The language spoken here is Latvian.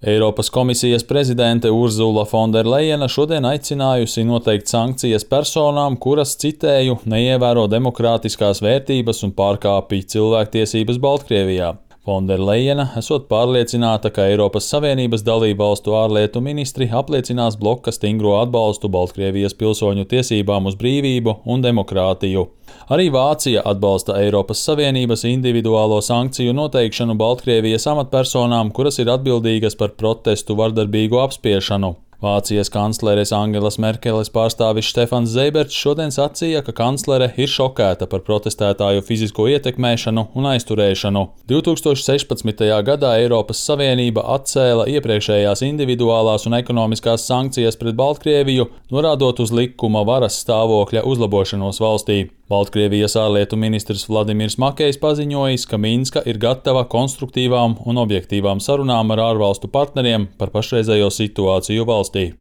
Eiropas komisijas prezidente Urzula Fonderlejena šodien aicinājusi noteikt sankcijas personām, kuras, citēju, neievēro demokrātiskās vērtības un pārkāpj cilvēktiesības Baltkrievijā. Fonderlejena esot pārliecināta, ka Eiropas Savienības dalībvalstu ārlietu ministri apliecinās bloka stingro atbalstu Baltkrievijas pilsoņu tiesībām uz brīvību un demokrātiju. Arī Vācija atbalsta Eiropas Savienības individuālo sankciju noteikšanu Baltkrievijas amatpersonām, kuras ir atbildīgas par protestu vardarbīgu apspiešanu. Vācijas kancleres Angelas Merkeles pārstāvis Stefans Zeiberts šodien sacīja, ka kanclere ir šokēta par protestētāju fizisko ietekmēšanu un aizturēšanu. 2016. gadā Eiropas Savienība atcēla iepriekšējās individuālās un ekonomiskās sankcijas pret Baltkrieviju, norādot uz likuma varas stāvokļa uzlabošanos valstī. Baltkrievijas ārlietu ministrs Vladimirs Makejs paziņojis, ka Minska ir gatava konstruktīvām un objektīvām sarunām ar ārvalstu partneriem par pašreizējo situāciju valstī.